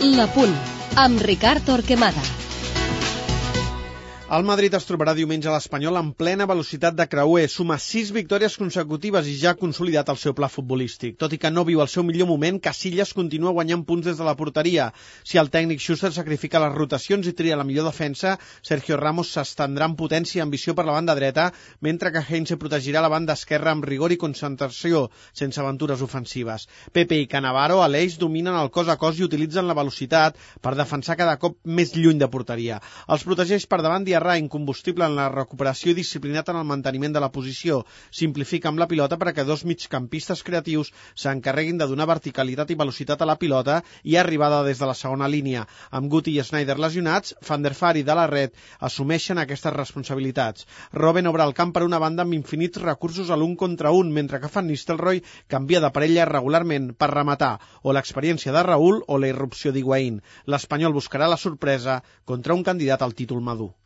La Punt, amb Ricard Torquemada. El Madrid es trobarà diumenge a l'Espanyol en plena velocitat de creuer. Suma 6 victòries consecutives i ja ha consolidat el seu pla futbolístic. Tot i que no viu el seu millor moment, Casillas continua guanyant punts des de la porteria. Si el tècnic Schuster sacrifica les rotacions i tria la millor defensa, Sergio Ramos s'estendrà en potència i ambició per la banda dreta, mentre que Heinze protegirà la banda esquerra amb rigor i concentració, sense aventures ofensives. Pepe i Cannavaro a l'eix dominen el cos a cos i utilitzen la velocitat per defensar cada cop més lluny de porteria. Els protegeix per davant Diarra, incombustible en la recuperació i disciplinat en el manteniment de la posició. Simplifica amb la pilota perquè dos migcampistes creatius s'encarreguin de donar verticalitat i velocitat a la pilota i arribada des de la segona línia. Amb Guti i Sneijder lesionats, Van der Vaart i De La Red assumeixen aquestes responsabilitats. Robben obre el camp per una banda amb infinits recursos a l'un contra un, mentre que Van Nistelrooy canvia de parella regularment per rematar, o l'experiència de Raúl o la irrupció d'Higuaín. L'Espanyol buscarà la sorpresa contra un candidat al títol madur.